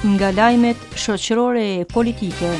Nga lajmet shoqërore e politike.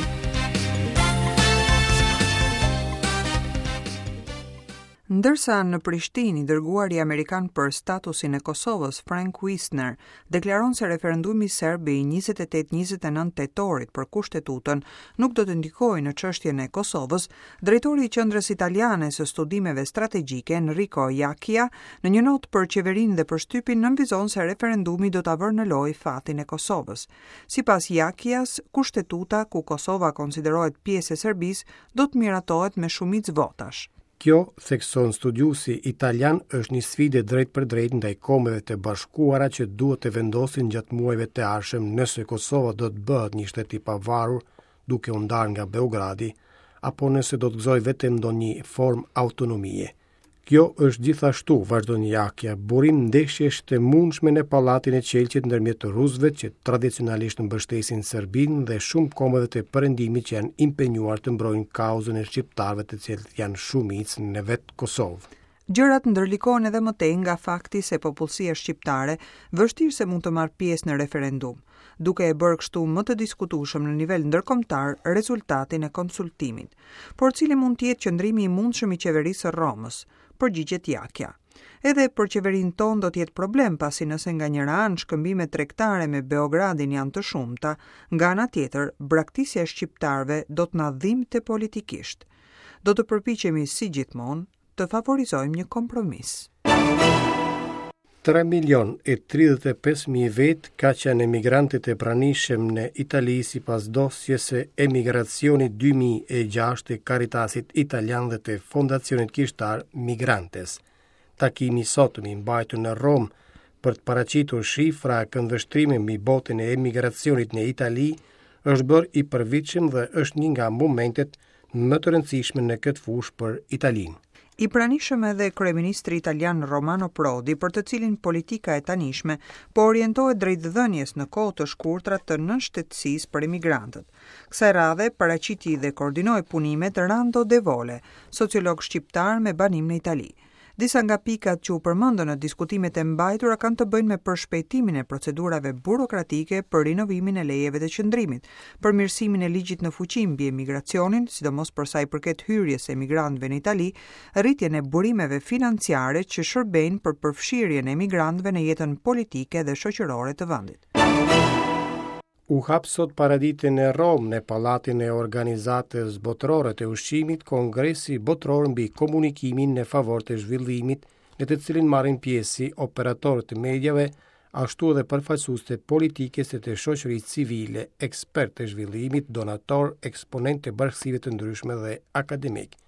Ndërsa në Prishtinë i dërguari amerikan për statusin e Kosovës, Frank Wisner, deklaron se referendumi serb i 28-29 tetorit për kushtetutën nuk do të ndikojë në çështjen e Kosovës, drejtori i Qendrës Italiane së Studimeve Strategjike, Enrico Jacchia, në një notë për qeverinë dhe për shtypin nënvizon se referendumi do ta vërë në lojë fatin e Kosovës. Sipas Jacchias, kushtetuta ku Kosova konsiderohet pjesë e Serbisë do të miratohet me shumicë votash. Kjo, thekson studiuesi italian, është një sfidë e drejtpërdrejtë ndaj Kombeve të Bashkuara që duhet të vendosin gjatë muajve të ardhshëm nëse Kosova do të bëhet një shtet i pavarur duke u ndarë nga Beogradi, apo nëse do të gëzojë vetëm ndonjë formë autonomie. Kjo është gjithashtu, vazhdon Jacchia, burim ndeshjesh të mundshme në Pallatin e Qelqit ndërmjet rusëve që tradicionalisht mbështesin Serbinë dhe shumë kombeve të Perëndimit që janë impenjuar të mbrojnë kauzën e shqiptarëve të cilët janë shumicë në vetë Kosovë. Gjërat ndërlikohen edhe më tej nga fakti se popullsia shqiptare vështirë se mund të marrë pjesë në referendum, duke e bërë kështu më të diskutueshëm në nivel ndërkombëtar rezultatin e konsultimit. Por cili mund të jetë qëndrimi i mundshëm i qeverisë së Romës? Përgjigjet Jacchia. Edhe për qeverinë tonë do të jetë problem, pasi nëse nga njëra anë shkëmbimet tregtare me Beogradin janë të shumta, nga ana tjetër, braktisja e shqiptarëve do të na dhimbte politikisht. Do të përpiqemi si gjithmonë të favorizojmë një kompromis. 3 milion e 35 mijë vetë kaq janë emigrantët e pranishëm në Itali sipas dosjes së emigracionit 2006 të Caritasit Italian dhe të Fondacionit Kishtar Migrantes. Takimi i sotëm i mbajtur në Romë për të paraqitur shifra e këndvështrime mbi botën e emigracionit në Itali është bërë i përvitshëm dhe është një nga momentet më të rëndësishme në këtë fushë për Italinë. I pranishëm edhe kryeministri italian Romano Prodi, për të cilin politika e tanishme po orientohet drejt dhënies në kohë të shkurtra të nënshtetësisë për emigrantët. Kësaj radhe paraqiti dhe koordinoi punimet Rando De Vole, sociolog shqiptar me banim në Itali. Disa nga pikat që u përmendën në diskutimet e mbajtura kanë të bëjnë me përshpejtimin e procedurave burokratike për rinovimin e lejeve të qëndrimit, përmirësimin e ligjit në fuqi mbi emigracionin, sidomos për sa i përket hyrjes së emigrantëve në Itali, rritjen e burimeve financiare që shërbejnë për përfshirjen e emigrantëve në jetën politike dhe shoqërore të vendit. U hap sot paradite në Romë, në Pallatin e Organizatës Botërore të Ushqimit, Kongresi Botëror mbi Komunikimin në favor të zhvillimit, në të cilin marrin pjesë si operatorë të mediave, ashtu edhe përfaqësues të politikës e të shoqërisë civile, ekspertë të zhvillimit, donatorë, eksponentë të bashkësive të ndryshme dhe akademikë.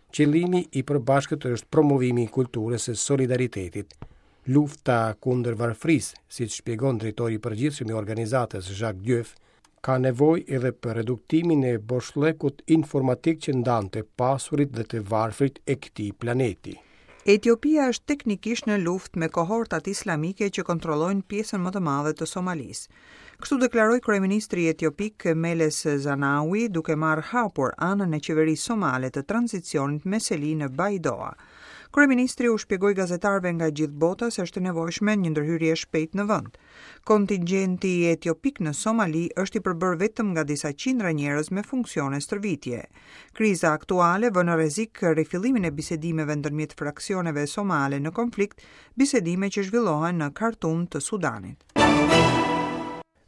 Qëllimi i përbashkët është promovimi i kulturës së solidaritetit. Lufta kundër varfërisë, siç shpjegon drejtori i përgjithshëm i organizatës Jacques Diouf, ka nevojë edhe për reduktimin e boshllëkut informatik që ndan të pasurit dhe të varfrit e këtij planeti. Etiopia është teknikisht në luftë me kohortat islamike që kontrollojnë pjesën më të madhe të Somalisë. Kështu deklaroi kryeministri etiopik Meles Zenawi, duke marrë hapur anën e qeverisë somale të tranzicionit me seli në Baidoa. Kryeministri u shpjegoi gazetarëve nga gjithë bota se është e nevojshme një ndërhyrje e shpejtë në vend. Kontingjenti etiopik në Somali është i përbërë vetëm nga disa qindra njerëz me funksione stërvitje. Kriza aktuale vë në rrezik rifillimin e bisedimeve ndërmjet fraksioneve somale në konflikt, bisedime që zhvillohen në Khartoum të Sudanit.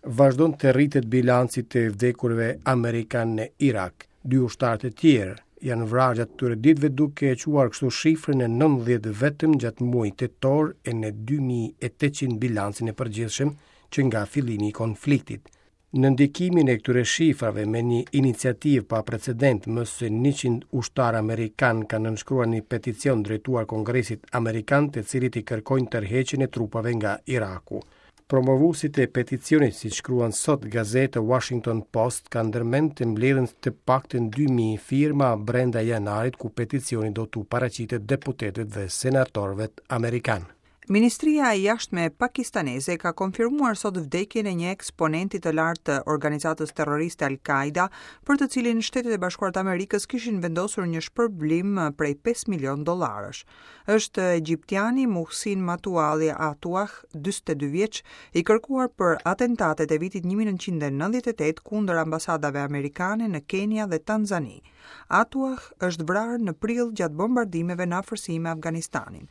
Vazhdon të rritet bilanci i të vdekurve amerikanë në Irak. Dy ushtarë të tjerë janë vrarë gjatë këtyre ditëve duke e çuar kështu shifrën në 90 vetëm gjatë muajit tetor e në 2800 bilancin e përgjithshëm që nga fillimi i konfliktit. Në ndikimin e këtyre shifrave me një iniciativë pa precedent, më se 100 ushtarë amerikanë kanë nënshkruar një peticion drejtuar Kongresit Amerikan të cilit i kërkojnë tërheqjen e trupave nga Iraku. Promovuesit e peticionit, siç shkruan sot gazeta Washington Post, kanë ndërmend të mbledhin të paktën 2000 firma brenda janarit ku peticioni do t'u paraqitet deputetëve dhe senatorëve amerikanë. Ministria e Jashtme pakistaneze ka konfirmuar sot vdekjen e një eksponenti të lartë të organizatës terroriste Al-Qaida, për të cilin Shtetet e Bashkuara të Amerikës kishin vendosur një shpërblim prej 5 milion dollarësh. Është egjiptiani Muhsin Matualli Atuah, 42 vjeç, i kërkuar për atentatet e vitit 1998 kundër ambasadave amerikane në Kenia dhe Tanzani. Atuah është vrarë në prill gjatë bombardimeve në afërsi me Afganistanin.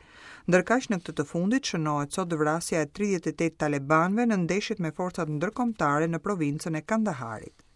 Ndërkaq në këtë të fundit shënohet sot vrasja e 38 talebanëve në ndeshjet me forcat ndërkombëtare në provincën e Kandaharit.